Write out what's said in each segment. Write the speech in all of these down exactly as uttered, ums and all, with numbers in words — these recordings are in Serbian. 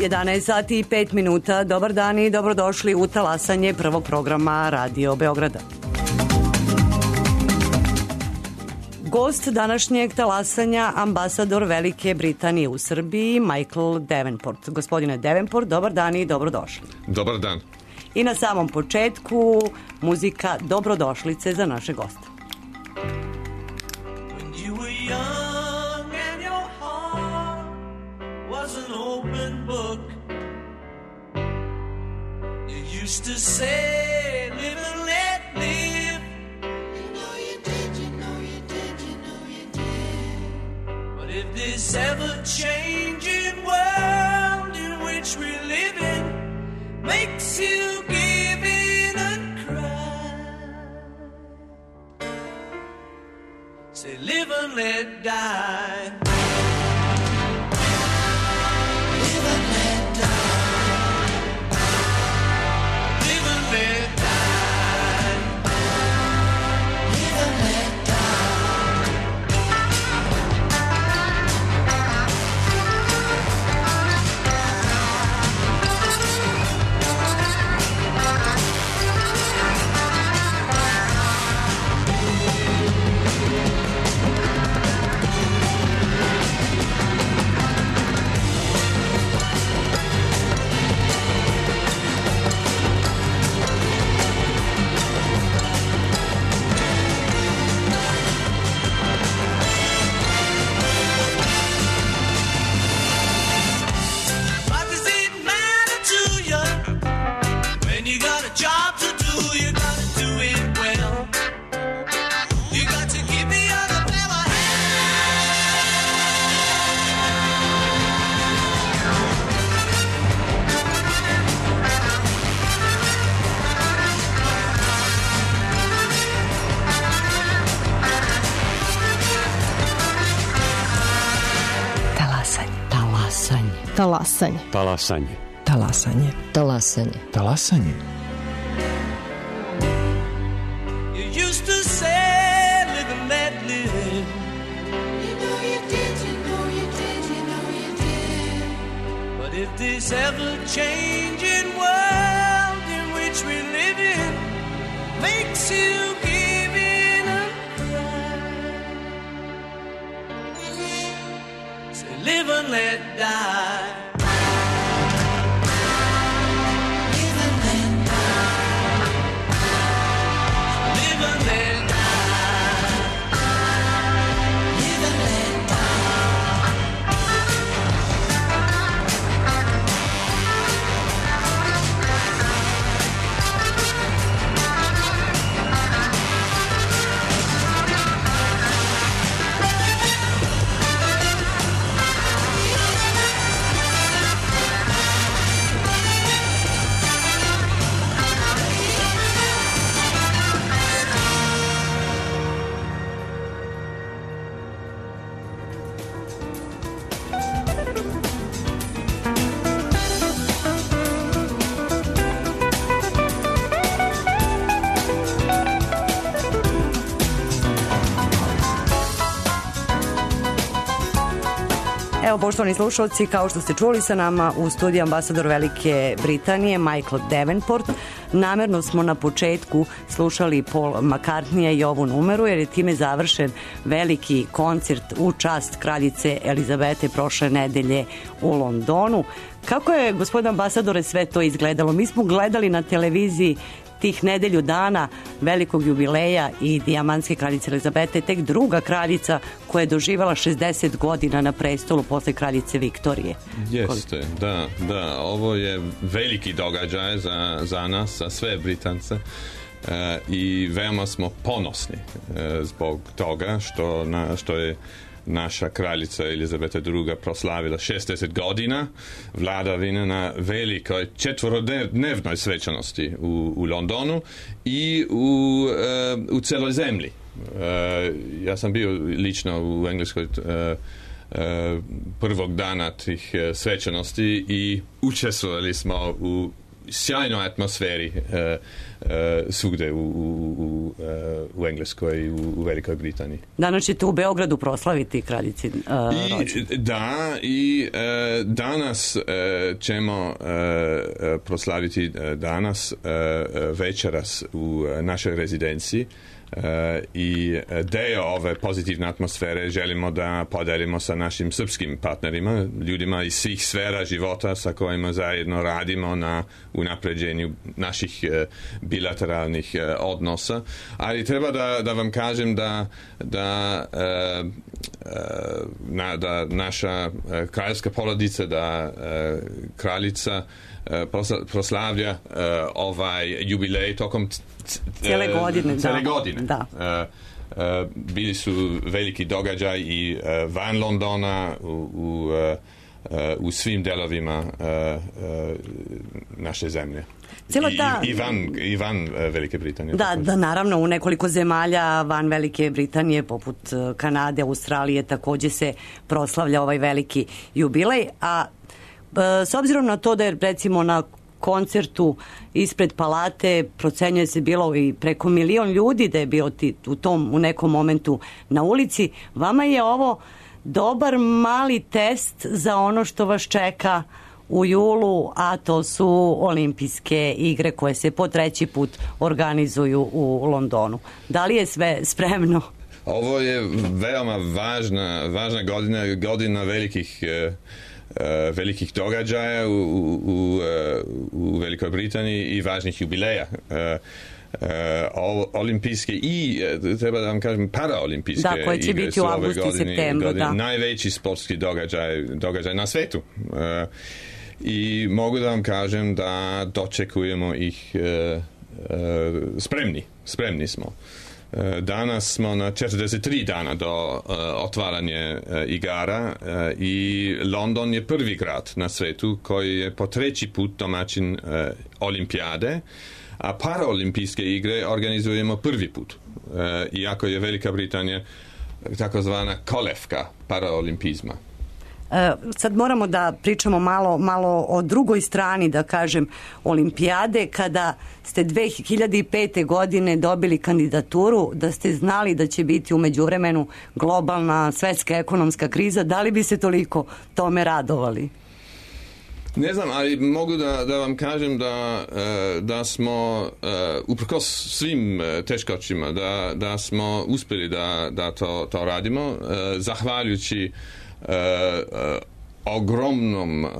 jedanaest sati i pet minuta. Dobar dan i dobrodošli u talasanje prvog programa Radio Beograda. Gost današnjeg talasanja, ambasador Velike Britanije u Srbiji, Michael Davenport. Gospodine Davenport, dobar dan i dobrodošli. Dobar dan. I na samom početku muzika dobrodošlice za naše goste. When you were young and your heart was an open book, you used to say, live and let live. You know you did, you know you did, you know you did. But if this ever-changing world in which we live in makes you give in and cry, say live and let die. Live and let die. Live and let die. Live and let die. What does it matter to you when you got a job to do? You gotta do it well. You got to give the other fella Talasanje. Talasanje. Talasanje. Talasanje. Talasanje. Talasanje. you used to say, live and let live. You know you did, you know you did, you know you did. But if this ever-changing world in which we live in makes you give in and cry, say live and let die. Live and let die. Live and let die. Live and let die. Evo, poštovani slušalci, kao što ste čuli, sa nama u studiju ambasador Velike Britanije, Michael Davenport. Namerno smo na početku slušali Paul McCartneya i ovu numeru, jer je time završen veliki koncert u čast kraljice Elizabete prošle nedelje u Londonu. Kako je, gospodine ambasadore, sve to izgledalo? Mi smo gledali na televiziji tih nedelju dana velikog jubileja i dijamantske kraljice Elizabete, tek druga kraljica koja je doživala šezdeset godina na prestolu posle kraljice Viktorije. Jeste, da, da. Ovo je veliki događaj za, za nas, za sve Britance. E, i veoma smo ponosni e, zbog toga što, na, što je naša kraljica Elizabeta druga proslavila šezdeset godina vladavine na velikoj četvorodnevnoj svečanosti u, u Londonu i u, uh, u celoj zemlji. Uh, ja sam bio lično u Engleskoj uh, uh, prvog dana tih uh, svečanosti i učestvovali smo u sjajnoj atmosferi uh, uh, svugde u, u, u, u Engleskoj i u, u Velikoj Britaniji. Danas ćete u Beogradu proslaviti kraljici uh, rođendan. Da, i uh, danas uh, ćemo uh, proslaviti uh, danas uh, večeras u našoj rezidenciji. Uh, i deo ove pozitivne atmosfere želimo da podelimo sa našim srpskim partnerima, ljudima iz svih sfera života sa kojima zajedno radimo na unapređenju naših uh, bilateralnih uh, odnosa, ali treba da, da vam kažem da, da, uh, uh, na, da naša uh, kraljevska porodica, da uh, kraljica uh, proslavlja uh, ovaj jubilej tokom cijele godine. Cijele da. godine. Da. Uh, uh, bili su veliki događaj i uh, van Londona u, u, uh, u svim delovima uh, uh, naše zemlje. I, ta... i, van, i van uh, Velike Britanije. Da, da, naravno, u nekoliko zemalja van Velike Britanije, poput Kanade, Australije, takođe se proslavlja ovaj veliki jubilej, a uh, s obzirom na to da je recimo na koncertu ispred palate procenjuje se bilo i preko milion ljudi da je bio ti, u tom u nekom momentu na ulici. Vama je ovo dobar mali test za ono što vas čeka u julu, a to su olimpijske igre koje se po treći put organizuju u Londonu. Da li je sve spremno? Ovo je veoma važna, važna godina, godina velikih Uh, velikih događaja u, u, u Velikoj Britaniji i važnih jubileja. Uh, uh, olimpijske i, treba da vam kažem, paraolimpijske da, koje će igre biti u avgustu i septembru. Da. Najveći sportski događaj, događaj na svetu. Uh, I mogu da vam kažem da dočekujemo ih uh, uh, spremni. Spremni smo. Danas smo na četrdeset tri dana do uh, otvaranja uh, igara uh, i London je prvi grad na svetu koji je po treći put domaćin uh, olimpijade, a paraolimpijske igre organizujemo prvi put. Uh, iako je Velika Britanija takozvana kolevka paraolimpizma. Sad moramo da pričamo malo, malo o drugoj strani, da kažem, olimpijade. Kada ste dve hiljade pete. godine dobili kandidaturu, da ste znali da će biti u međuvremenu globalna svetska ekonomska kriza, da li bi se toliko tome radovali? Ne znam, ali mogu da, da vam kažem da, da smo uprkos svim teškoćima, da, da smo uspjeli da, da to, to radimo, zahvaljujući Uh, uh, ogromnom uh,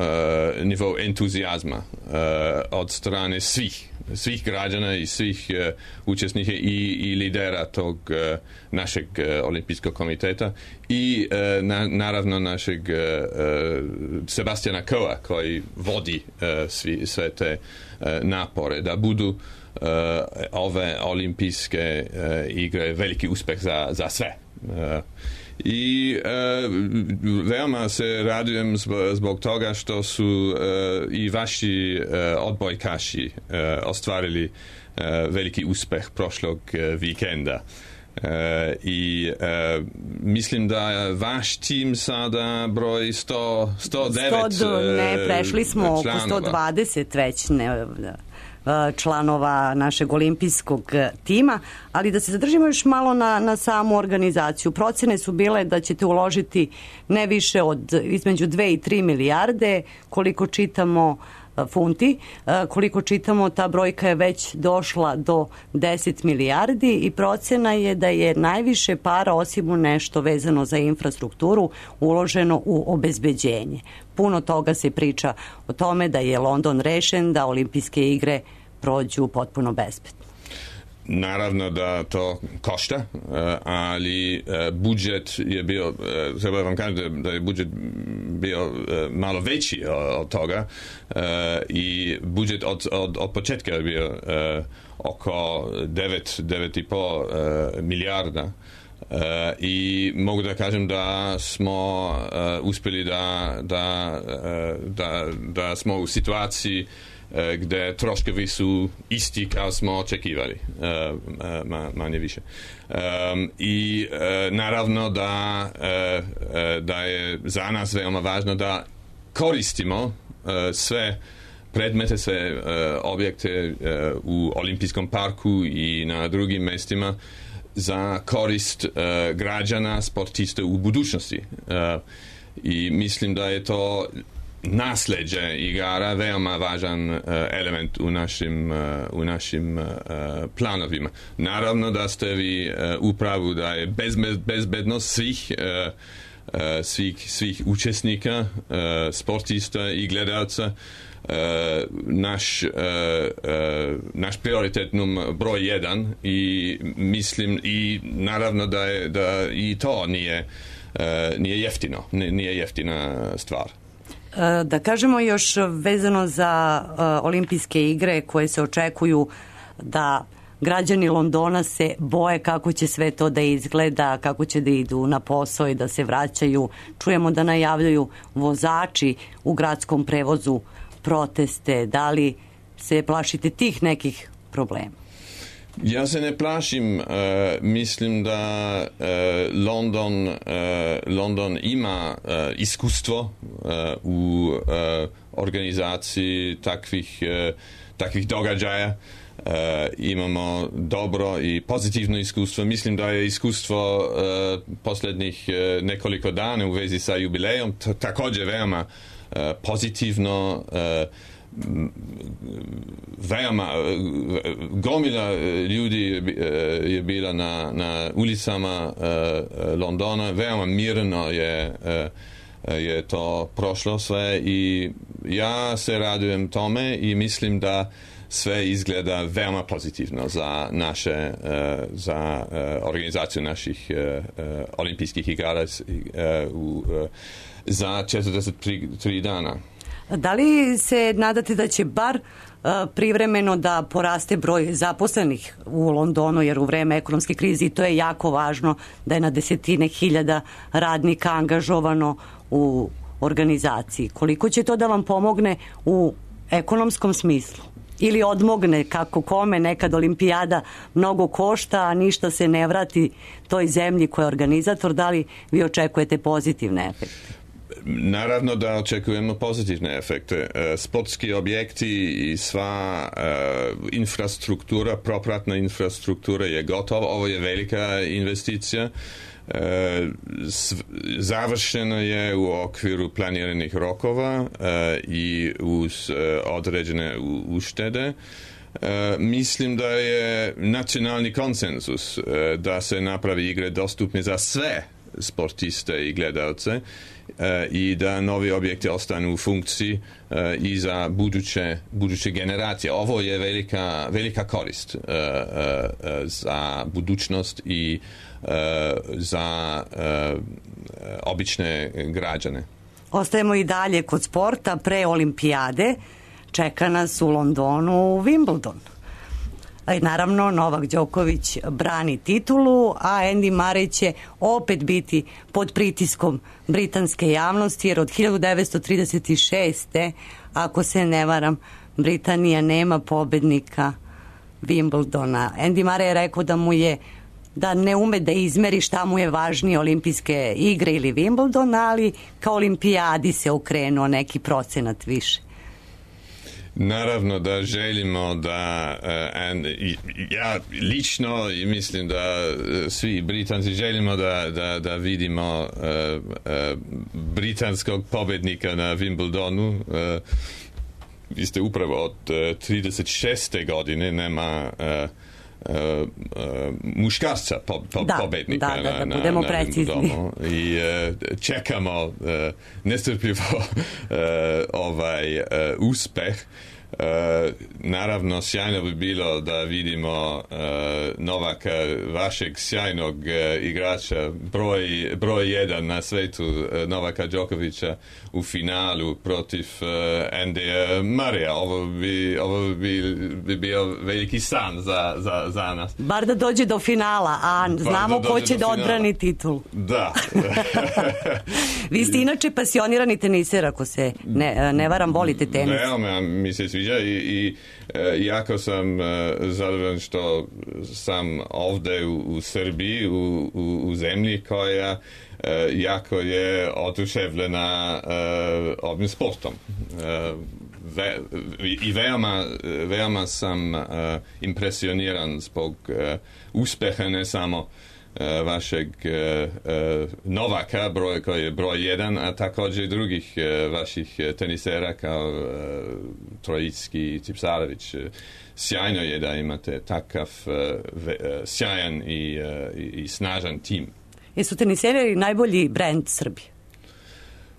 nivou entuzijazma uh, od strane svih svih građana i svih uh, učesnika i, i lidera tog uh, našeg uh, olimpijskog komiteta i uh, na, naravno našeg uh, Sebastiana Coa koji vodi uh, svi, sve te uh, napore da budu uh, ove olimpijske uh, igre veliki uspeh za, za sve. Uh, I e, veoma se radujem zbog toga što su e, i vaši e, odbojkaši e, ostvarili e, veliki uspeh prošlog e, vikenda. E, I e, mislim da vaš tim sada broji sto, sto devet sto, ne, prešli smo oko sto dvadeset već ne, članova našeg olimpijskog tima, ali da se zadržimo još malo na, na samu organizaciju. Procene su bile da ćete uložiti ne više od između dve i tri milijarde, koliko čitamo funti, koliko čitamo ta brojka je već došla do deset milijardi i procena je da je najviše para, osim u nešto vezano za infrastrukturu, uloženo u obezbeđenje. Puno toga se priča o tome da je London rešen, da olimpijske igre prođu potpuno bezbedno. Naravno da to košta, ali budžet je bio, treba vam kažem da je budžet bio malo veći od toga i budžet od, od, od početka je bio oko devet, devet i pol milijarda. Uh, i mogu da kažem da smo uh, uspjeli da, da, uh, da, da smo u situaciji uh, gdje troškovi su isti kao smo očekivali, uh, uh, manje više. Um, I uh, naravno da, uh, uh, da je za nas veoma važno da koristimo uh, sve predmete, sve uh, objekte uh, u Olimpijskom parku i na drugim mestima za korist uh, građana, sportista u budućnosti. Uh, I mislim da je to nasleđe igara veoma važan uh, element u našim, uh, u našim uh, planovima. Naravno da ste vi uh, u pravu da je bezbe, bezbednost svih uh, uh, svih, svih učesnika, uh, sportista i gledalca Uh, naš, uh, uh, naš prioritet num broj jedan i mislim i naravno da, je, da i to nije, uh, nije jeftino, nije jeftina stvar. Da kažemo još vezano za uh, olimpijske igre koje se očekuju, da građani Londona se boje kako će sve to da izgleda, kako će da idu na posao i da se vraćaju. Čujemo da najavljaju vozači u gradskom prevozu proteste. Da li se plašite tih nekih problema? Ja se ne plašim. Uh, mislim da uh, London, uh, London ima uh, iskustvo uh, u uh, organizaciji takvih, uh, takvih događaja. Uh, imamo dobro i pozitivno iskustvo. Mislim da je iskustvo uh, posljednjih uh, nekoliko dana u vezi sa jubilejom t- također veoma uh, pozitivno. Uh, veoma gomila ljudi je bila na, na ulicama uh, Londona. Veoma mirno je, uh, je to prošlo sve i ja se radujem tome i mislim da sve izgleda veoma pozitivno za naše, uh, za uh, organizaciju naših uh, uh, olimpijskih igara uh, uh, za četrdeset tri dana. Da li se nadate da će bar uh, privremeno da poraste broj zaposlenih u Londonu, jer u vreme ekonomske krize i to je jako važno, da je na desetine hiljada radnika angažovano u organizaciji. Koliko će to da vam pomogne u ekonomskom smislu? Ili odmogne, kako kome, nekad olimpijada mnogo košta, a ništa se ne vrati toj zemlji koja je organizator? Da li vi očekujete pozitivne efekte? Naravno da očekujemo pozitivne efekte. Sportski objekti i sva uh, infrastruktura, propratna infrastruktura je gotova. Ovo je velika investicija. Uh, završeno je u okviru planiranih rokova uh, i uz uh, određene uštede. Uh, mislim da je nacionalni konsenzus uh, da se napravi igre dostupne za sve sportiste i gledalce uh, i da novi objekti ostanu u funkciji uh, i za buduće, buduće generacije. Ovo je velika, velika korist uh, uh, za budućnost i uh, za uh, obične građane. Ostajemo i dalje kod sporta. Pre olimpijade čeka nas u Londonu Wimbledon. Naravno, Novak Đoković brani titulu, a Andy Murray će opet biti pod pritiskom britanske javnosti, jer od hiljadu devetsto trideset šeste. ako se ne varam, Britanija nema pobednika Wimbledona. Andy Murray je rekao da mu je da ne ume da izmeri šta mu je važnije, olimpijske igre ili Wimbledon, ali kao olimpijadi se okrenuo neki procenat više. Naravno da želimo da uh, and, i, ja lično i mislim da uh, svi Britanci želimo da, da, da vidimo uh, uh, britanskog pobednika na Wimbledonu. Uh, vi ste upravo od uh, trideset šeste godine nema uh, Uh, uh, muškarca po, po, da, pobednika da, da, da, na, budemo na, na Wimbledonu i uh, čekamo uh, nestrpljivo uh, ovaj uh, uspeh. Uh, naravno sjajno bi bilo da vidimo uh, Novaka, vašeg sjajnog uh, igrača, broj, broj jedan na svetu, uh, Novaka Đokovića u finalu protiv uh, Andyja Murraya. Ovo bi, ovo bi, bi bio veliki san za, za, za nas. Bar da dođe do finala, a znamo da ko će da odbrani titul. Da. Vi ste inače pasionirani teniser, ako se ne, ne varam, volite tenis. Veoma mi se sviđa i, i e, jako sam e, zadovoljan što sam ovde u, u Srbiji, u, u, u zemlji koja e, jako je oduševljena e, ovim sportom. E, ve, i veoma, veoma sam uh, impresioniran zbog uh, uspeha ne samo uh, vašeg uh, uh, Novaka, broj, koji je broj jedan, a također i drugih uh, vaših tenisera kao uh, Trojicki i Tipsarević. Sjajno je da imate takav uh, ve, uh, sjajan i, uh, i, i snažan tim. Jesu teniseri najbolji brend Srbije?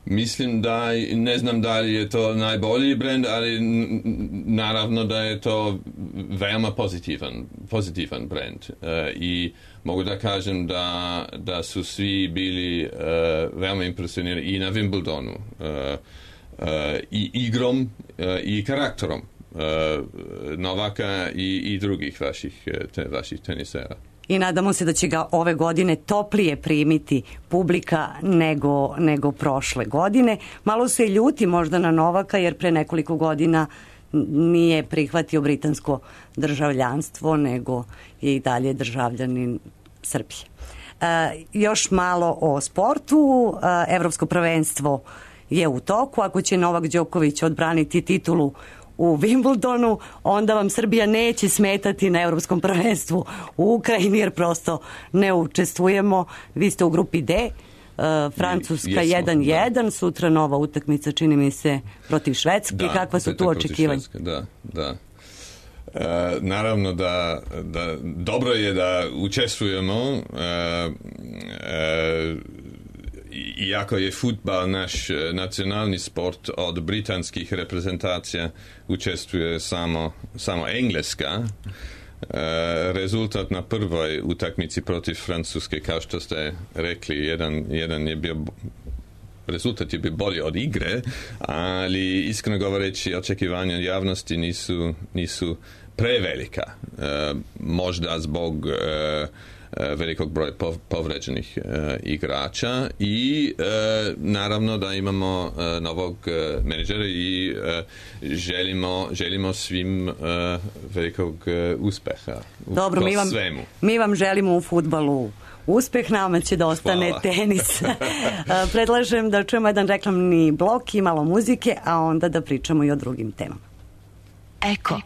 Mislim da, ne znam da li je to najbolji brend, ali naravno da je to veoma pozitivan, pozitivan brend. Uh, I mogu da kažem da, da su svi bili uh, veoma impresionirani i na Wimbledonu, uh, uh, i igrom uh, i karakterom uh, Novaka i, i drugih vaših, te, vaših tenisera. I nadamo se da će ga ove godine toplije primiti publika nego, nego prošle godine. Malo se ljuti možda na Novaka jer pre nekoliko godina nije prihvatio britansko državljanstvo, nego je i dalje državljanin Srbije. E, još malo o sportu. E, Evropsko prvenstvo je u toku. Ako će Novak Đoković odbraniti titulu u Wimbledonu, onda vam Srbija neće smetati na Evropskom prvenstvu u Ukrajini, jer prosto ne učestvujemo. Vi ste u grupi D, uh, Francuska jedan jedan, sutra nova utakmica, čini mi se, protiv Švedske. Da, kakva su tu očekivanja? Da, da. E, naravno da, da dobro je da učestvujemo, e, e, iako je fudbal naš nacionalni sport, od britanskih reprezentacija učestvuje samo, samo Engleska. E, rezultat na prvoj utakmici protiv Francuske, kao što ste rekli, jedan, jedan je bio, rezultat je bio bolji od igre, ali iskreno govoreći očekivanja javnosti nisu, nisu prevelika. E, možda zbog e, velikog broja povređenih uh, igrača i uh, naravno da imamo uh, novog uh, menadžera i uh, želimo, želimo svim uh, velikog uh, uspeha u Dobro, mi vam, svemu. Mi vam želimo u fudbalu uspeh, nama će da ostane Hvala. Tenis. Predlažem da čujemo jedan reklamni blok i malo muzike, a onda da pričamo i o drugim temama. Eko.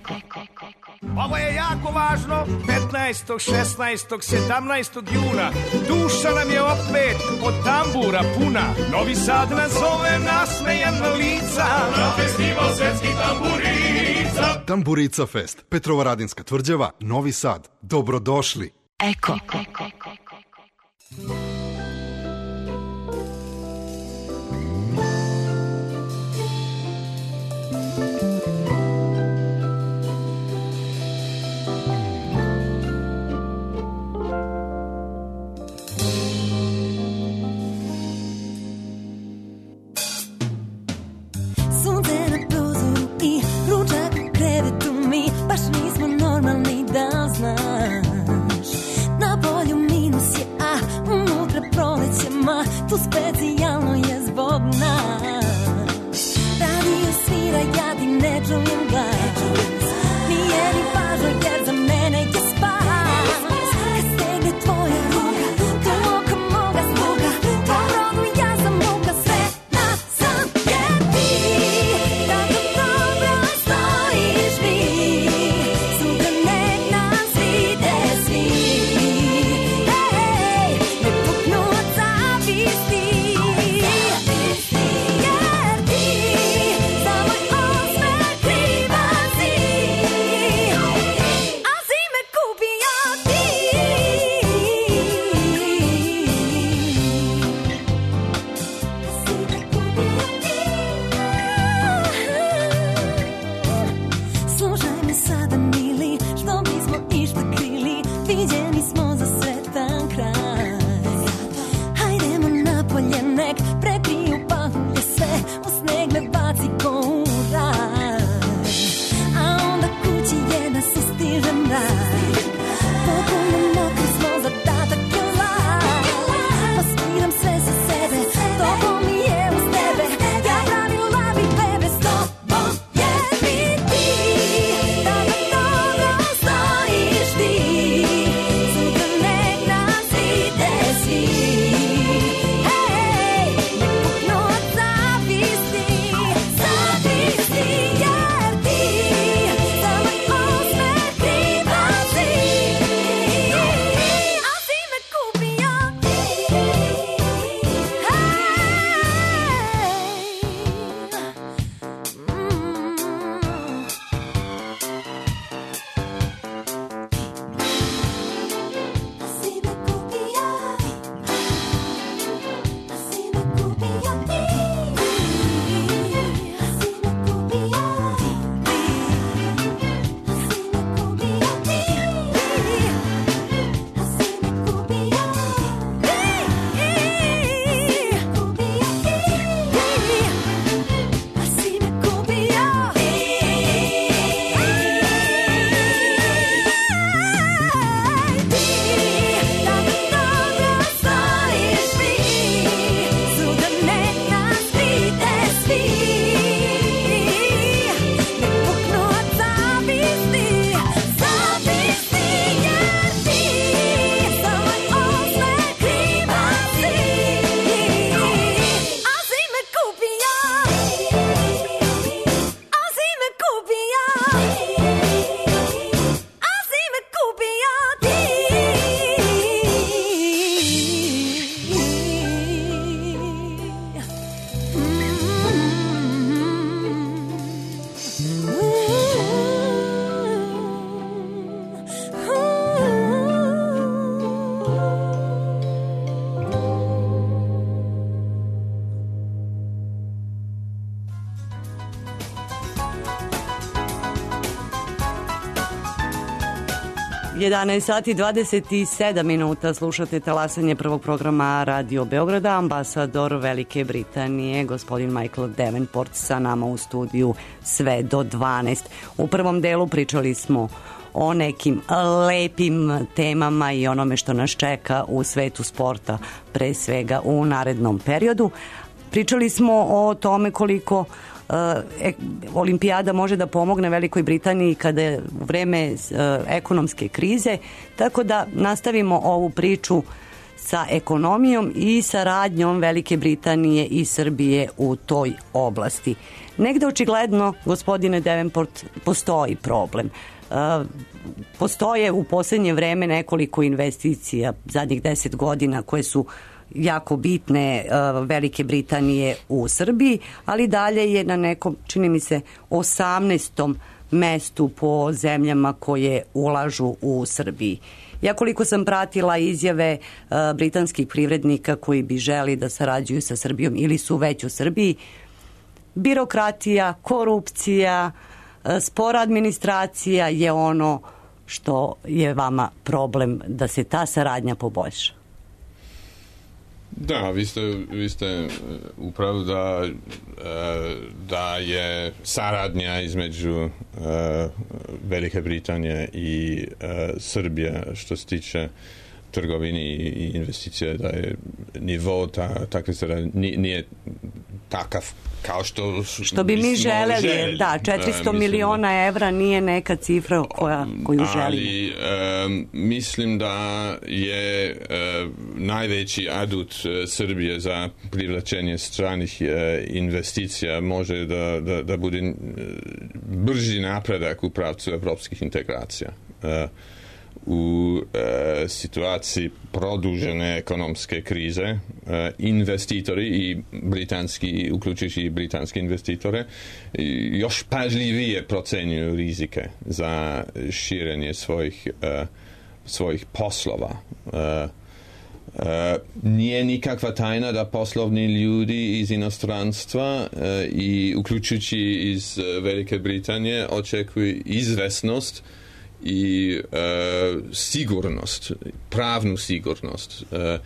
Ovo je jako važno, petnaestog, šesnaestog, sedamnaestog juna. Duša nam je opet od tambura puna. Novi Sad nas zove, nasmejana lica. Na festival svetskih tamburica. Tamburica Fest, Petrovaradinska tvrđava, Novi Sad. Dobrodošli. Eko. Tu specijalno je zbog nas. Radio svira, ja ti ne čujem glas. Nije ni važno jer za mene je spas. Kad stegne tvoja ruka, to oka moga sluga. Tvoj rodu ja sam muka, sve na sam je ti. Tako dobro stojiš mi. Sutra nek nas vide svi. Ej, ne puknu od zavisti. jedanaest sati dvadeset sedam minuta, slušate talasanje prvog programa Radio Beograda. Ambasador Velike Britanije, gospodin Michael Davenport, sa nama u studiju sve do dvanaest. U prvom delu pričali smo o nekim lepim temama i onome što nas čeka u svetu sporta, pre svega u narednom periodu. Pričali smo o tome koliko E, olimpijada može da pomogne Velikoj Britaniji kada je u vreme e, ekonomske krize, tako da nastavimo ovu priču sa ekonomijom i saradnjom Velike Britanije i Srbije u toj oblasti. Negde očigledno, gospodine Davenport, postoji problem. E, postoje u posljednje vreme nekoliko investicija zadnjih deset godina koje su jako bitne uh, Velike Britanije u Srbiji, ali dalje je na nekom, čini mi se, osamnaestom mestu po zemljama koje ulažu u Srbiji. Ja koliko sam pratila izjave uh, britanskih privrednika koji bi želi da sarađuju sa Srbijom ili su već u Srbiji, birokratija, korupcija, uh, spora administracija je ono što je vama problem da se ta saradnja poboljša. Da, vi ste, vi ste upravo da, da je saradnja između Velike Britanije i Srbije što se tiče trgovini i investicije, da je nivo ta, takve saradnje nije takav kao što što bi mi želeli, želeli. Da, četiristo miliona evra nije neka cifra koja, koju želimo. Ali um, mislim da je uh, najveći adut uh, Srbije za privlačenje stranih uh, investicija može da, da, da bude uh, brži napredak u pravcu evropskih integracija. Uh, u e, situaciji produžene ekonomske krize e, investitori i britanski, uključujući i britanske investitore, još pažljivije procenjuju rizike za širenje svojih, e, svojih poslova. E, e, nije nikakva tajna da poslovni ljudi iz inostranstva e, i uključujući iz Velike Britanije očekuju izvesnost i e, sigurnost, pravnu sigurnost e,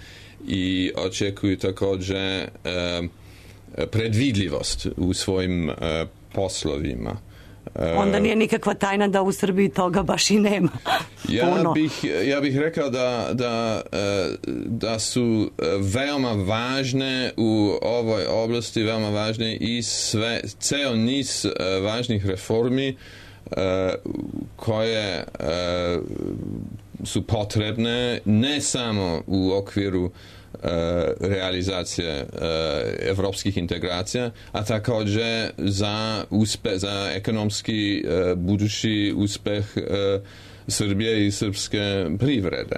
i očekuju također e, predvidljivost u svojim e, poslovima. E, Onda nije nikakva tajna da u Srbiji toga baš i nema. ja, bih, ja bih rekao da, da, da su veoma važne u ovoj oblasti, veoma važne i sve, ceo niz važnih reformi koje su potrebne ne samo u okviru realizacije evropskih integracija, a također za uspeh, za ekonomski budući uspeh Srbije i srpske privrede.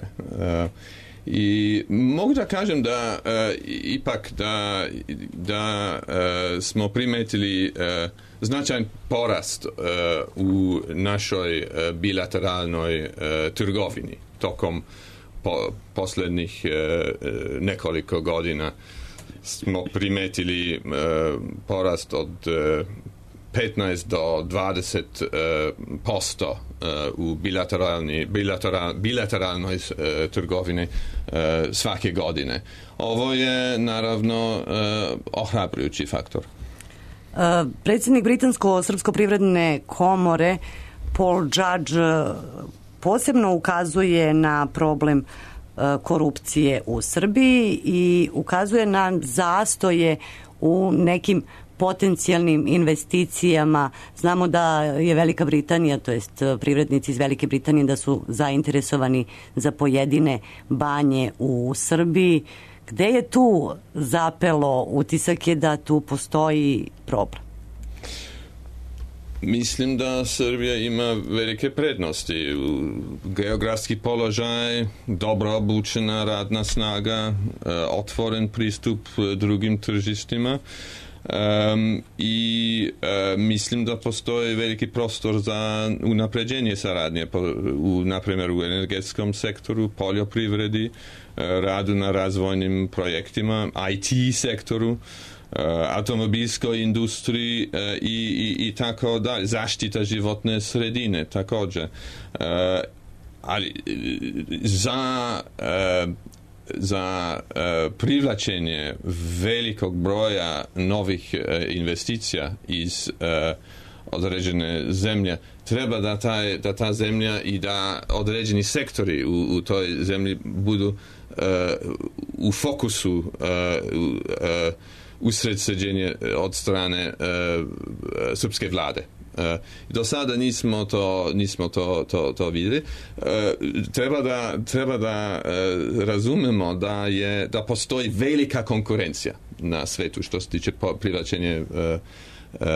I mogu da kažem da uh, ipak da, da uh, smo primetili uh, značajan porast uh, u našoj uh, bilateralnoj uh, trgovini tokom po, posljednjih uh, nekoliko godina. Smo primetili uh, porast od uh, petnaest do dvadeset posto u bilateralni, bilateral, bilateralnoj trgovini svake godine. Ovo je naravno ohrabrujući faktor. Predsjednik Britansko-srpsko privredne komore Paul Judge posebno ukazuje na problem korupcije u Srbiji i ukazuje na zastoje u nekim potencijalnim investicijama. Znamo da je Velika Britanija, to jest privrednici iz Velike Britanije, da su zainteresovani za pojedine banje u Srbiji. Gde je tu zapelo? Utisak je da tu postoji problem. Mislim da Srbija ima velike prednosti. Geografski položaj, dobro obučena radna snaga, otvoren pristup drugim tržištima. Um, i uh, mislim da postoji veliki prostor za unapređenje saradnje po, u, na primjer u energetskom sektoru, poljoprivredi, uh, radu na razvojnim projektima, I T sektoru, uh, automobilskoj industriji uh, i, i, i tako dalje, zaštita životne sredine također. Uh, ali za za privlačenje velikog broja novih investicija iz određene zemlje treba da, taj, da ta zemlja i da određeni sektori u, u toj zemlji budu uh, u fokusu uh, uh, usredsređenje od strane uh, srpske vlade. Uh, do sada nismo to, nismo to, to, to vidjeli. Uh, treba da, treba da uh, razumemo da, je, da postoji velika konkurencija na svetu što se tiče privlačenja uh, Uh, uh,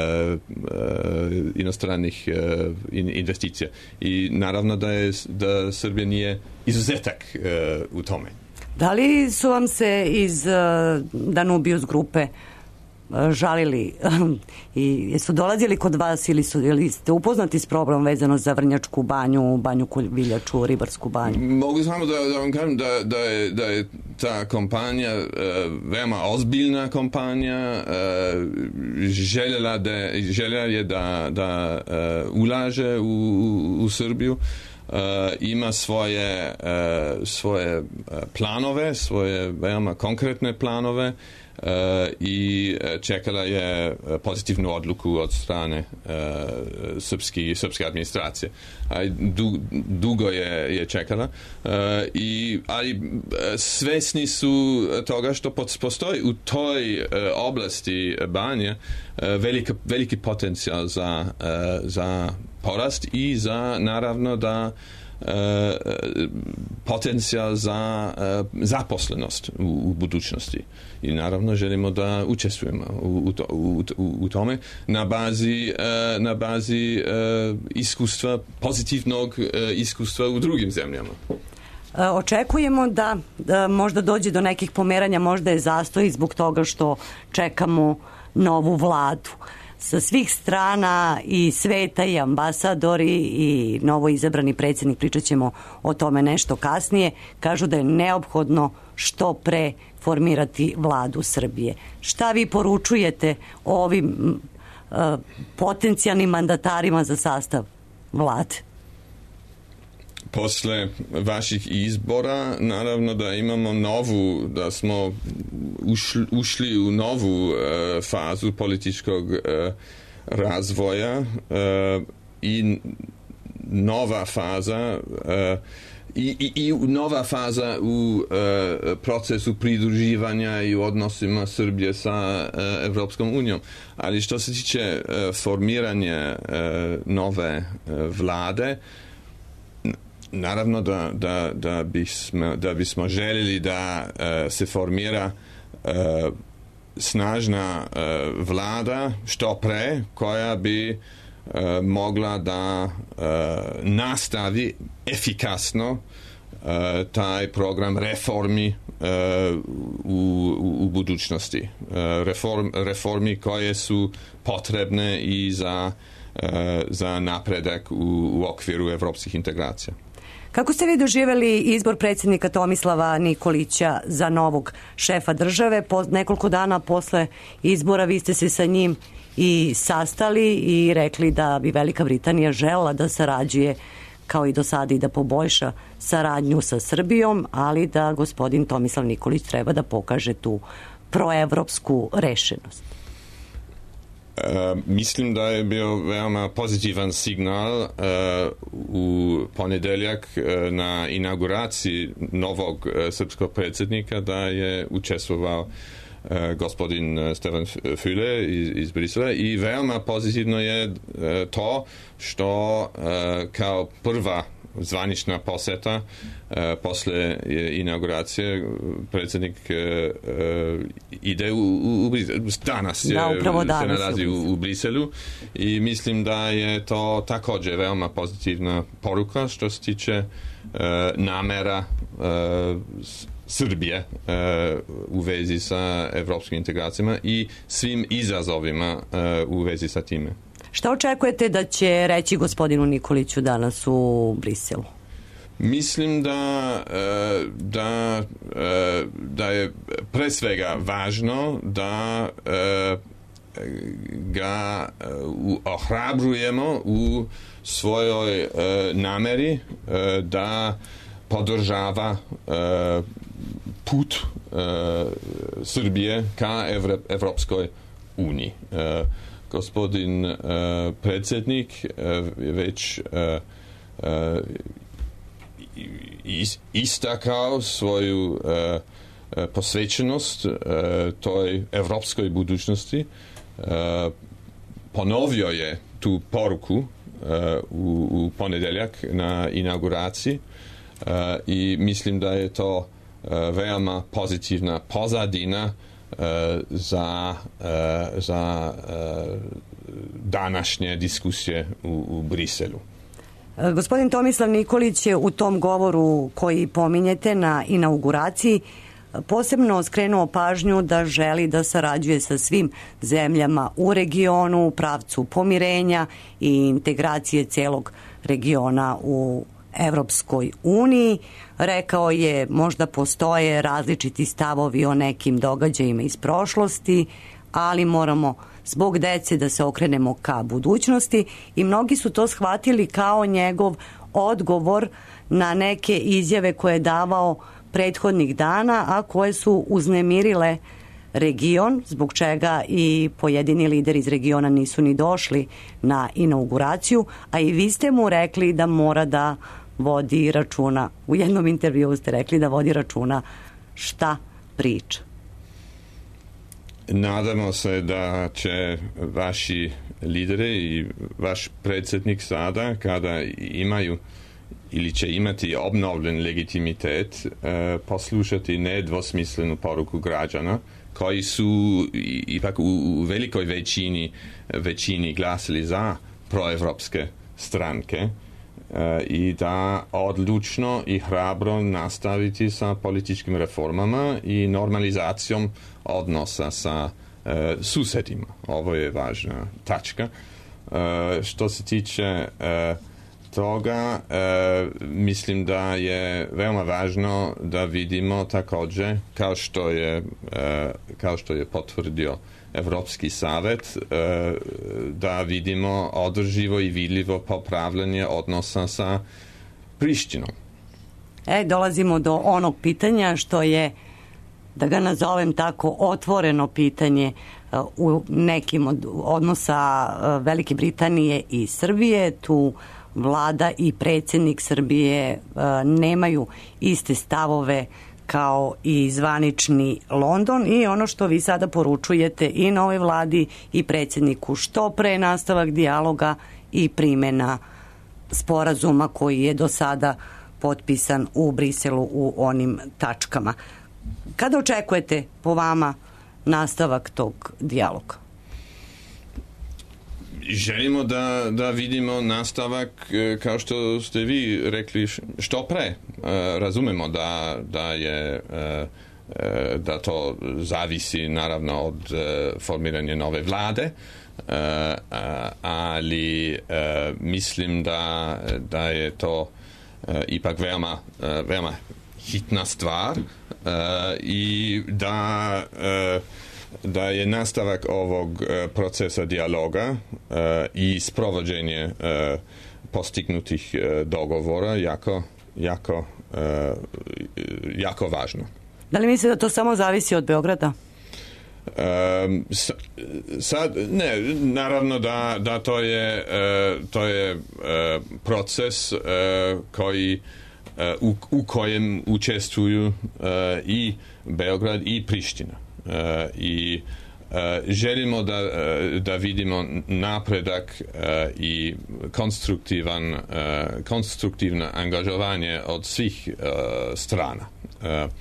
inostranih uh, in, investicija i naravno da je da Srbija nije izuzetak uh, u tome. Da li su vam se iz uh, Danubius grupe uh, žalili i jesu dolazili kod vas ili, su, ili ste upoznati s problemom vezano za Vrnjačku banju, Banju Kulviljaču, Ribarsku banju? Mogu samo da, da vam kažem da, da, je, da je ta kompanija uh, veoma ozbiljna kompanija, uh, željela, da, željela je da, da uh, ulaže u, u, u Srbiju, uh, ima svoje, uh, svoje planove, svoje veoma konkretne planove, Uh, i čekala je pozitivnu odluku od strane uh, srpski, srpske administracije. A du, dugo je, je čekala. Uh, i, ali svesni su toga što postoji u toj uh, oblasti banje uh, veliki, veliki potencijal za, uh, za porast i za naravno da Uh, potencijal za uh, zaposlenost u, u budućnosti i naravno želimo da učestvujemo u, u, to, u, u tome na bazi, uh, na bazi uh, iskustva, pozitivnog uh, iskustva u drugim zemljama. Očekujemo da, da možda dođe do nekih pomeranja, možda je zastoj zbog toga što čekamo novu vladu. Sa svih strana i sveta i ambasadori i novo izabrani predsjednik, pričat ćemo o tome nešto kasnije, kažu da je neophodno što pre formirati vladu Srbije. Šta vi poručujete ovim uh, potencijalnim mandatarima za sastav vlade? Posle vaših izbora, naravno da imamo novu, da smo ušli, ušli u novu uh, fazu političkog uh, razvoja uh, i nova faza uh, i, i, i nova faza u uh, procesu pridruživanja i u odnosima Srbije sa uh, Evropskom unijom. Ali što se tiče uh, formiranja uh, nove uh, vlade, naravno da, da, da, bismo, da bismo željeli da uh, se formira uh, snažna uh, vlada što pre koja bi uh, mogla da uh, nastavi efikasno uh, taj program reformi uh, u, u, u budućnosti. Uh, reform, reformi koje su potrebne i za, uh, za napredak u, u okviru evropskih integracija. Kako ste vi doživjeli izbor predsjednika Tomislava Nikolića za novog šefa države? Po nekoliko dana posle izbora vi ste se sa njim i sastali i rekli da bi Velika Britanija želela da sarađuje kao i do sada i da poboljša saradnju sa Srbijom, ali da gospodin Tomislav Nikolić treba da pokaže tu proevropsku rešenost. Uh, mislim da je bio veoma pozitivan signal uh, u ponedeljak uh, na inauguraciji novog uh, srpskog predsjednika da je učestvovao uh, gospodin Stefan Füle iz, iz Brisela i veoma pozitivno je uh, to što uh, kao prva zvanična poseta uh, posle inauguracije predsjednik uh, ide u, u, u danas je, da, danas se nalazi u, u Briselu i mislim da je to također veoma pozitivna poruka što se tiče uh, namera uh, Srbije uh, u vezi sa evropskim integracijama i svim izazovima uh, u vezi sa time. Šta očekujete da će reći gospodinu Nikoliću danas u Briselu? Mislim da, da, da je pre svega važno da ga ohrabrujemo u svojoj nameri da podržava put Srbije ka Evropskoj uniji. Gospodin predsjednik je već istakao svoju posvećenost toj evropskoj budućnosti. Ponovio je tu poruku u, u ponedeljak na inauguraciji i mislim da je to veoma pozitivna pozadina za, za današnje diskusije u, u Briselu. Gospodin Tomislav Nikolić je u tom govoru koji pominjete na inauguraciji posebno skrenuo pažnju da želi da sarađuje sa svim zemljama u regionu u pravcu pomirenja i integracije celog regiona u Evropskoj uniji. Rekao je možda postoje različiti stavovi o nekim događajima iz prošlosti, ali moramo zbog dece da se okrenemo ka budućnosti i mnogi su to shvatili kao njegov odgovor na neke izjave koje je davao prethodnih dana, a koje su uznemirile region, zbog čega i pojedini lideri iz regiona nisu ni došli na inauguraciju, a i vi ste mu rekli da mora da vodi računa. U jednom intervjuu ste rekli da vodi računa šta priča. Nadamo se da će vaši lideri i vaš predsjednik sada, kada imaju ili će imati obnovljen legitimitet, eh, poslušati nedvosmislenu poruku građana koji su ipak u, u velikoj većini, većini glasili za proevropske stranke eh, i da odlučno i hrabro nastaviti sa političkim reformama i normalizacijom odnosa sa eh, susedima. Ovo je važna tačka. Eh, što se tiče eh, toga, e, mislim da je veoma važno da vidimo također, kao što je, e, kao što je potvrdio Evropski savet, e, da vidimo održivo i vidljivo popravljanje odnosa sa Prištinom. E, dolazimo do onog pitanja što je, da ga nazovem tako, otvoreno pitanje u nekim od odnosa Velike Britanije i Srbije. Tu vlada i predsjednik Srbije nemaju iste stavove kao i zvanični London i ono što vi sada poručujete i novoj vladi i predsjedniku, što pre nastavak dijaloga i primjena sporazuma koji je do sada potpisan u Briselu u onim tačkama. Kada očekujete po vama nastavak tog dijaloga? Želimo da, da vidimo nastavak, kao što ste vi rekli, što pre. Razumemo da, da je da to zavisi naravno od formiranja nove vlade, ali mislim da, da je to ipak veoma, veoma hitna stvar i da da je nastavak ovog procesa dijaloga i sprovođenje postignutih dogovora jako, jako, jako važno. Da li mislite da to samo zavisi od Beograda? Um, sad, ne, naravno da, da to je, uh, to je uh, proces uh, koji, uh, u, u kojem učestvuju uh, i Beograd i Priština. Uh, i uh, želimo da, uh, da vidimo napredak uh, i konstruktivan, uh, konstruktivno angažovanje od svih uh, strana. Uh,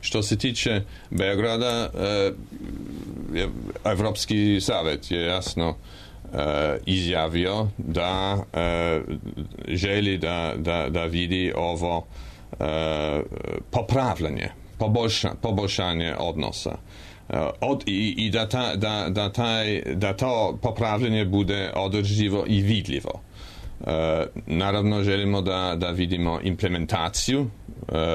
Što se tiče Beograda, eh, Evropski savet je jasno eh, izjavio da eh, želi da, da, da vidi ovo eh, popravljanje, poboljša, poboljšanje odnosa. Eh, od, i, i da, ta, da, da, taj, da to popravljanje bude održivo i vidljivo. Uh, naravno želimo da, da vidimo implementaciju uh,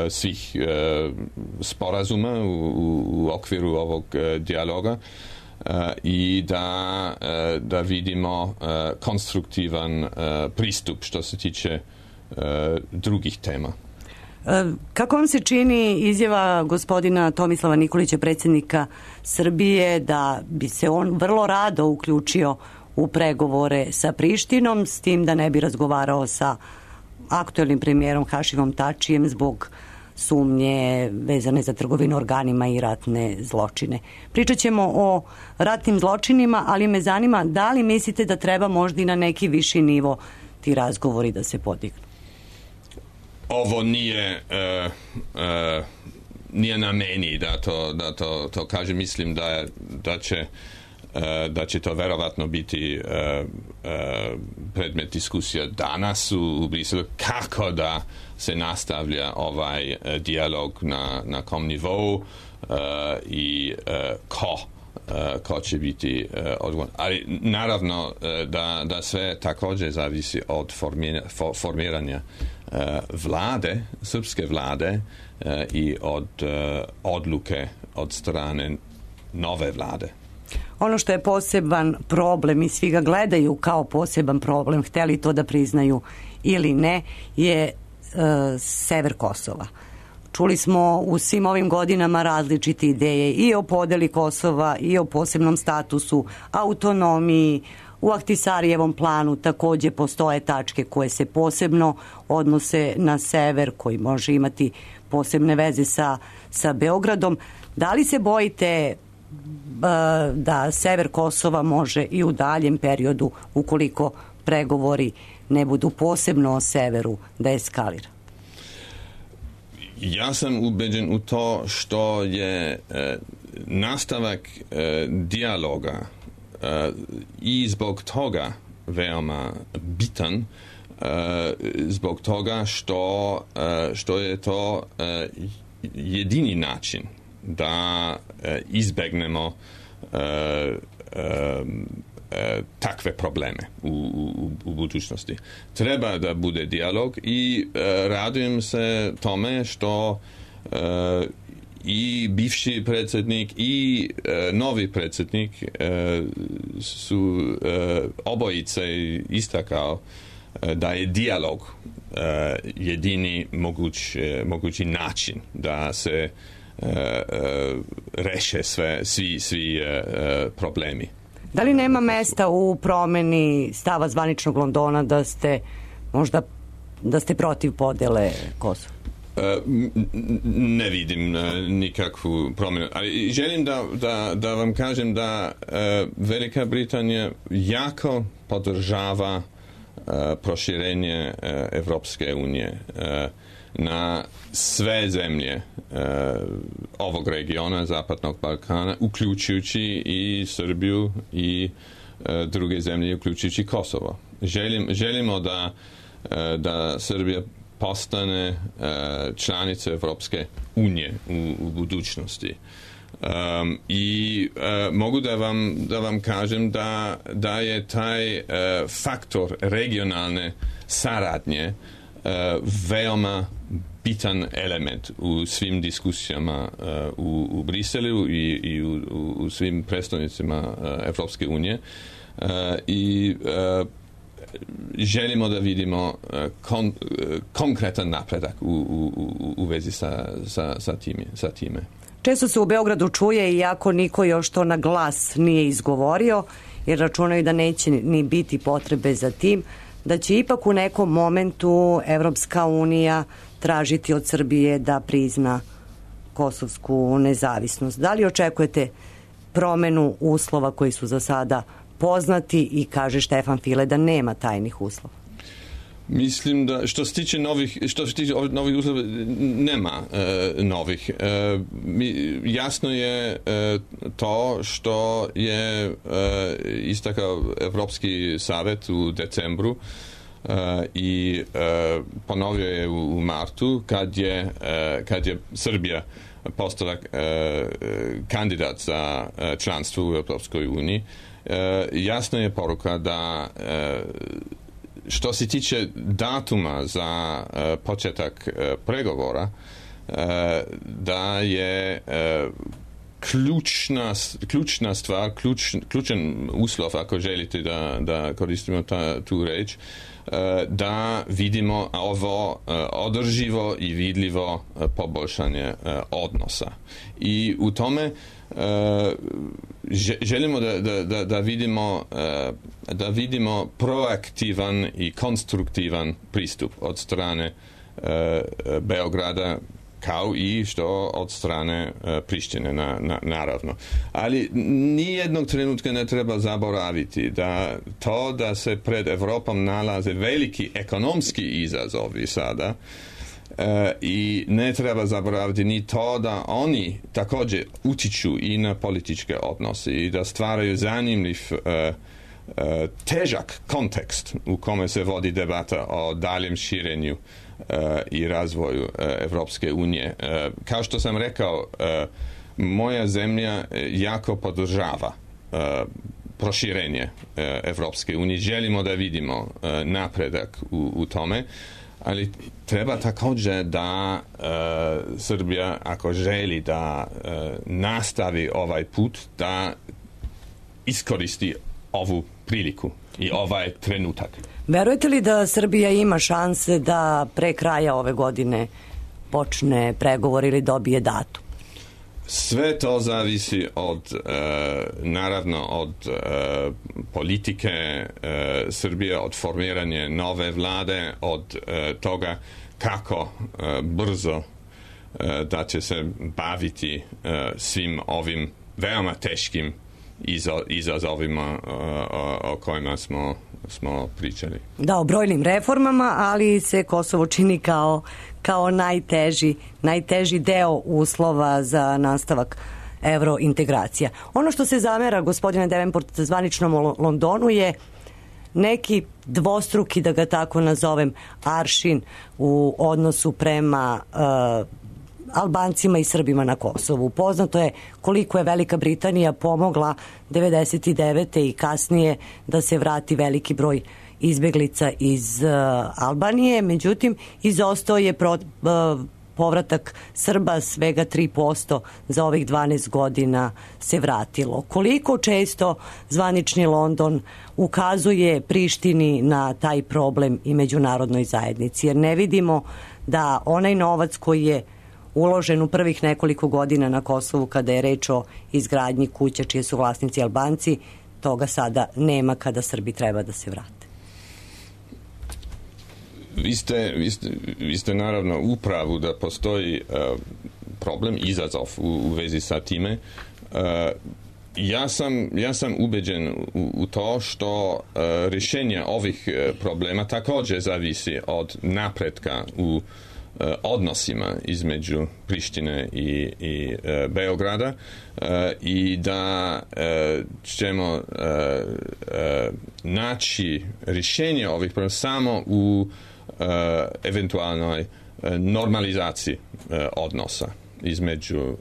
svih uh, sporazuma u, u, u okviru ovog uh, dijaloga, i da, da vidimo konstruktivan pristup što se tiče drugih tema. Kako vam se čini izjava gospodina Tomislava Nikolića, predsjednika Srbije, da bi se on vrlo rado uključio u pregovore sa Prištinom, s tim da ne bi razgovarao sa aktuelnim premijerom Hašimom Tačijem zbog sumnje vezane za trgovinu organima i ratne zločine? Pričat ćemo o ratnim zločinima, ali me zanima da li mislite da treba možda i na neki viši nivo ti razgovori da se podignu? Ovo nije uh, uh, nije na meni da to, da to, to kažem. Mislim da, da će uh, da će to verovatno biti uh, uh, predmet diskusija danas u, u Briselu, kako da se nastavlja ovaj uh, dijalog na, na kom nivou uh, i uh, ko Uh, ko će biti uh, odgovoran. Ali naravno uh, da, da sve također zavisi od formiranja, for, formiranja uh, vlade, srpske vlade uh, i od uh, odluke od strane nove vlade. Ono što je poseban problem i svi ga gledaju kao poseban problem, hteli to da priznaju ili ne, je uh, sever Kosova. Čuli smo u svim ovim godinama različite ideje i o podeli Kosova i o posebnom statusu, autonomiji. U Ahtisarijevom planu također postoje tačke koje se posebno odnose na sever, koji može imati posebne veze sa, sa Beogradom. Da li se bojite da sever Kosova može i u daljem periodu, ukoliko pregovori ne budu posebno o severu, da eskalira? Ja sam ubeđen u to što je e, nastavak e, dijaloga e, i zbog toga veoma bitan, e, zbog toga što, e, što je to e, jedini način da e, izbegnemo e, e, takve probleme u, u, u budućnosti. Treba da bude dijalog i e, radujem se tome što e, i bivši predsjednik i e, novi predsjednik e, su e, obojice istakao e, da je dijalog e, jedini moguć, e, mogući način da se e, e, reše sve, svi, svi e, problemi. Da li nema mesta u promeni stava zvaničnog Londona da ste možda da ste protiv podele Kosova? Ne vidim nikakvu promjenu, ali želim da, da, da vam kažem da Velika Britanija jako podržava proširenje Evropske unije na sve zemlje uh, ovog regiona, Zapadnog Balkana, uključujući i Srbiju i uh, druge zemlje, uključujući Kosovo. Želim, želimo da, uh, da Srbija postane uh, članica Evropske unije u, u budućnosti. Um, I uh, mogu da vam, da vam kažem da, da je taj uh, faktor regionalne saradnje uh, veoma bitan element u svim diskusijama uh, u, u Briselu i, i u, u svim predstavnicima uh, Evropske unije uh, i uh, želimo da vidimo uh, kon, uh, konkretan napredak u, u, u vezi sa, sa, sa, time, sa time. Često se u Beogradu čuje, iako niko još to na glas nije izgovorio, jer računaju da neće ni biti potrebe za tim, da će ipak u nekom momentu Evropska unija tražiti od Srbije da prizna kosovsku nezavisnost. Da li očekujete promenu uslova koji su za sada poznati i kaže Štefan File da nema tajnih uslova? Mislim da što se tiče novih, što se tiče novih uslova, nema e, novih. E, mi, jasno je e, to što je e, istakao Evropski savjet u decembru e, i e, ponovio je u, u martu kad je, e, kad je Srbija postala e, kandidat za e, članstvo u Evropskoj uniji. E, jasna je poruka da e, što se tiče datuma za uh, početak uh, pregovora, uh, da je uh, ključna, ključna stvar, ključ, ključan uslov, ako želite da, da koristimo ta, tu reč, da vidimo ovo održivo i vidljivo poboljšanje odnosa. I u tome želimo da, da, da, vidimo, da vidimo proaktivan i konstruktivan pristup od strane Beograda, kao i što od strane Prištine, na, na, naravno. Ali nijednog trenutka ne treba zaboraviti da to da se pred Evropom nalaze veliki ekonomski izazovi sada, e, i ne treba zaboraviti ni to da oni također utiču i na političke odnose i da stvaraju zanimljiv e, e, težak kontekst u kome se vodi debata o daljem širenju i razvoju Evropske unije. Kao što sam rekao, moja zemlja jako podržava proširenje Evropske unije. Želimo da vidimo napredak u, u tome, ali treba također da Srbija, ako želi da nastavi ovaj put, da iskoristi ovu priliku i ovaj trenutak. Verujete li da Srbija ima šanse da pre kraja ove godine počne pregovor ili dobije datum? Sve to zavisi od, e, naravno, od e, politike e, Srbije, od formiranja nove vlade, od e, toga kako e, brzo e, da će se baviti e, svim ovim veoma teškim izazovima o kojima smo, smo pričali. Da, o brojnim reformama, ali se Kosovo čini kao, kao najteži, najteži deo uslova za nastavak evrointegracija. Ono što se zamera, gospodine Davenport, zvaničnom Londonu je neki dvostruki, da ga tako nazovem, aršin u odnosu prema uh, Albancima i Srbima na Kosovu. Poznato je koliko je Velika Britanija pomogla devedeset devete i kasnije da se vrati veliki broj izbeglica iz uh, Albanije. Međutim, izostao je pro, uh, povratak Srba, svega tri posto za ovih dvanaest godina se vratilo. Koliko često zvanični London ukazuje Prištini na taj problem i međunarodnoj zajednici? Jer ne vidimo da onaj novac koji je uložen u prvih nekoliko godina na Kosovu kada je reč o izgradnji kuća čije su vlasnici Albanci, toga sada nema kada Srbi treba da se vrate. Vi ste, vi ste, vi ste naravno u pravu da postoji uh, problem, izazov u, u vezi sa time. Uh, ja, sam, ja sam ubeđen u, u to što uh, rješenje ovih uh, problema također zavisi od napretka u odnosima između Prištine i, i e, Beograda e, i da e, ćemo e, e, naći rješenje ovih problema samo u e, eventualnoj e, normalizaciji e, odnosa između e,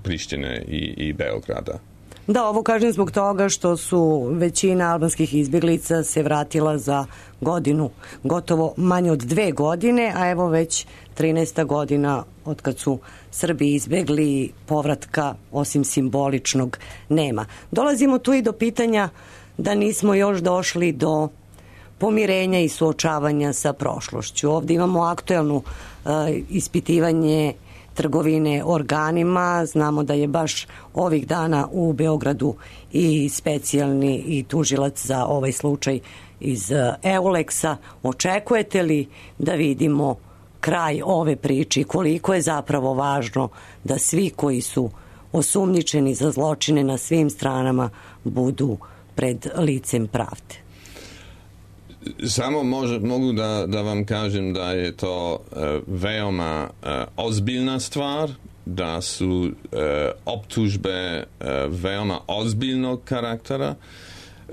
Prištine i, i Beograda. Da, ovo kažem zbog toga što su većina albanskih izbjeglica se vratila za godinu, gotovo manje od dve godine, a evo već trinaesta godina od kad su Srbi izbjegli, povratka osim simboličnog nema. Dolazimo tu i do pitanja da nismo još došli do pomirenja i suočavanja sa prošlošću. Ovdje imamo aktuelnu uh, ispitivanje trgovine organima. Znamo da je baš ovih dana u Beogradu i specijalni i tužilac za ovaj slučaj iz Euleksa. Očekujete li da vidimo kraj ove priče? Koliko je zapravo važno da svi koji su osumnjičeni za zločine na svim stranama budu pred licem pravde? Samo može, mogu da, da vam kažem da je to uh, veoma uh, ozbiljna stvar, da su uh, optužbe uh, veoma ozbiljnog karaktera.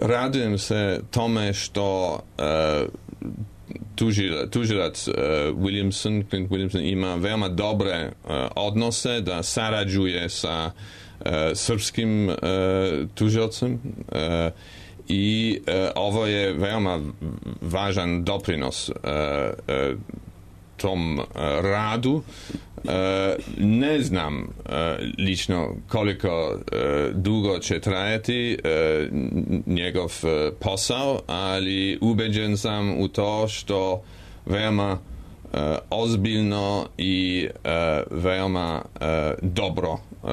Radujem se tome što uh, tužilac, tužilac uh, Williamson, Clint Williamson ima veoma dobre uh, odnose, da sarađuje sa uh, srpskim uh, tužilcem uh, i uh, ovo je veoma važan doprinos uh, uh, tom uh, radu. Uh, ne znam uh, lično koliko uh, dugo će trajati uh, njegov uh, posao, ali ubeđen sam u to što veoma uh, ozbiljno i uh, veoma uh, dobro uh,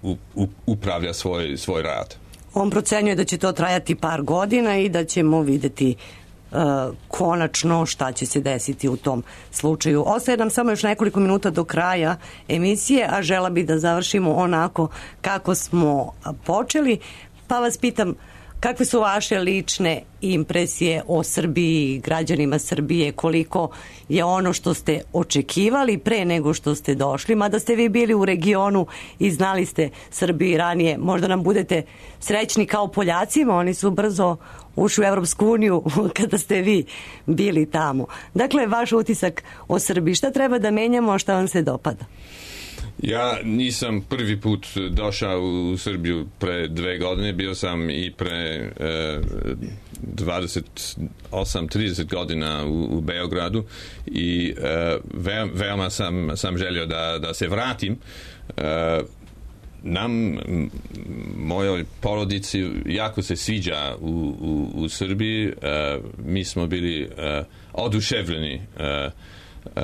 uh, u, upravlja svoj, svoj rad. On procenjuje da će to trajati par godina i da ćemo videti uh, konačno šta će se desiti u tom slučaju. Ostaje nam samo još nekoliko minuta do kraja emisije, a žela bi da završimo onako kako smo počeli, pa vas pitam kakve su vaše lične impresije o Srbiji, građanima Srbije, koliko je ono što ste očekivali pre nego što ste došli, mada ste vi bili u regionu i znali ste Srbiji ranije, možda nam budete srećni kao Poljacima, oni su brzo ušli u Evropsku uniju kada ste vi bili tamo. Dakle, vaš utisak o Srbiji, šta treba da menjamo, a šta vam se dopada? Ja nisam prvi put došao u Srbiju pre dve godine, bio sam i pre e, dvadeset osam trideset godina u, u Beogradu i e, ve, veoma sam, sam želio da, da se vratim. E, nam, mojoj porodici, jako se sviđa u, u, u Srbiji. E, mi smo bili e, oduševljeni e, Uh,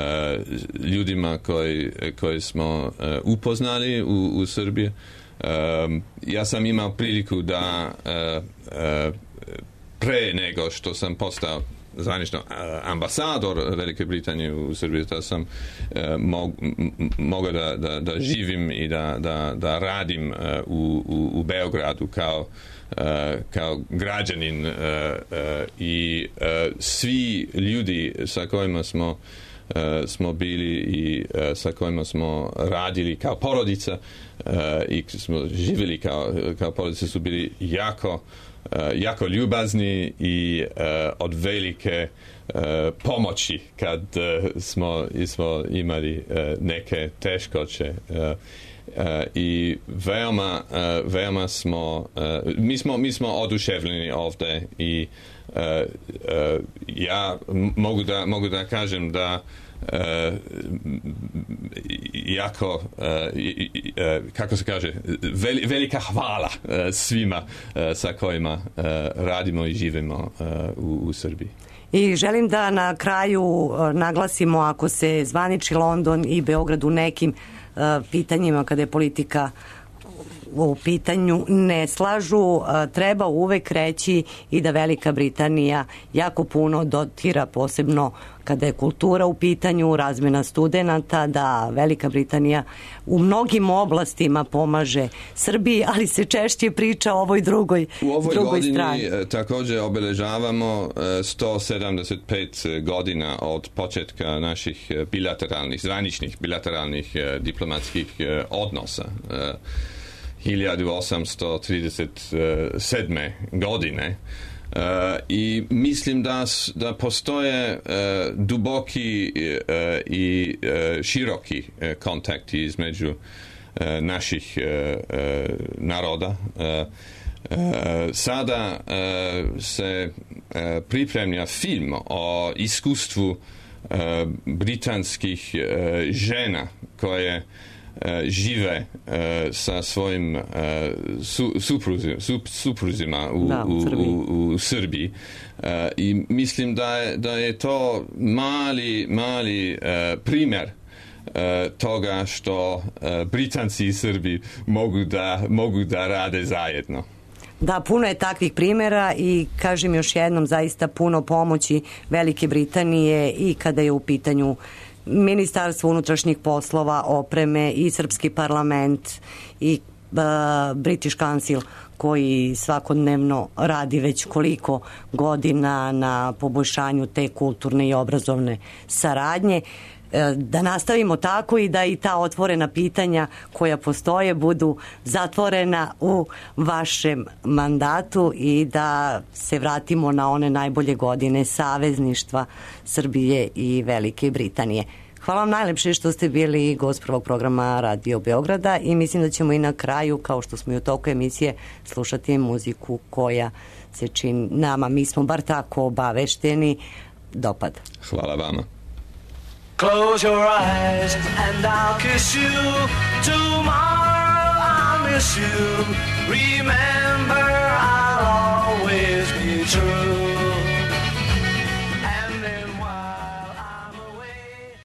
ljudima koji, koji smo uh, upoznali u, u Srbiji. Um, ja sam imao priliku da uh, uh, pre nego što sam postao zvanično uh, ambasador Velike Britanije u Srbiji, da sam uh, mog, mogao da, da, da živim i da, da, da radim uh, u, u, u Beogradu kao Uh, kao građanin uh, uh, i uh, svi ljudi sa kojima smo uh, smo bili i uh, sa kojima smo radili kao porodica uh, i smo živjeli kao, kao porodica su bili jako, uh, jako ljubazni i uh, od velike uh, pomoći kad uh, smo, smo imali uh, neke teškoće. Uh, Uh, i veoma, uh, veoma smo, uh, mi smo, mi smo oduševljeni ovdje i uh, uh, ja mogu da, mogu da kažem da uh, jako, uh, uh, kako se kaže, veli, velika hvala uh, svima uh, sa kojima uh, radimo i živimo uh, u, u Srbiji. I želim da na kraju naglasimo, ako se zvaniči London i Beograd u nekim pitanjima kada je politika u pitanju ne slažu, treba uvek reći i da Velika Britanija jako puno dotira, posebno kada je kultura u pitanju, razmjena studenata, da Velika Britanija u mnogim oblastima pomaže Srbiji, ali se češće priča o ovoj drugoj strani. U ovoj godini strani. Također obeležavamo sto sedamdeset pet godina od početka naših bilateralnih, zvaničnih bilateralnih diplomatskih odnosa. hiljadu osamsto trideset sedme godine. Uh, i mislim da, da postoje uh, duboki uh, i uh, široki uh, kontakti između uh, naših uh, uh, naroda. Uh, uh, sada uh, se uh, pripremlja film o iskustvu uh, britanskih uh, žena koje žive uh, sa svojim uh, su, supruzima, su, supruzima u, da, u, u, u, u Srbiji uh, i mislim da je, da je to mali, mali uh, primjer uh, toga što uh, Britanci i Srbi mogu da, mogu da rade zajedno. Da, puno je takvih primjera i kažem još jednom, zaista puno pomoći Velike Britanije i kada je u pitanju Ministarstvo unutrašnjih poslova, opreme i Srpski parlament i uh, British Council koji svakodnevno radi već koliko godina na poboljšanju te kulturne i obrazovne saradnje. Da nastavimo tako i da i ta otvorena pitanja koja postoje budu zatvorena u vašem mandatu i da se vratimo na one najbolje godine savezništva Srbije i Velike Britanije. Hvala vam najlepše što ste bili gost prvog programa Radio Beograda i mislim da ćemo i na kraju, kao što smo i u toku emisije, slušati muziku koja se čini nama, mi smo bar tako obavešteni, dopada. Hvala vama. Close your eyes and I'll kiss you. Tomorrow I'll miss you. Remember, I'll always be true.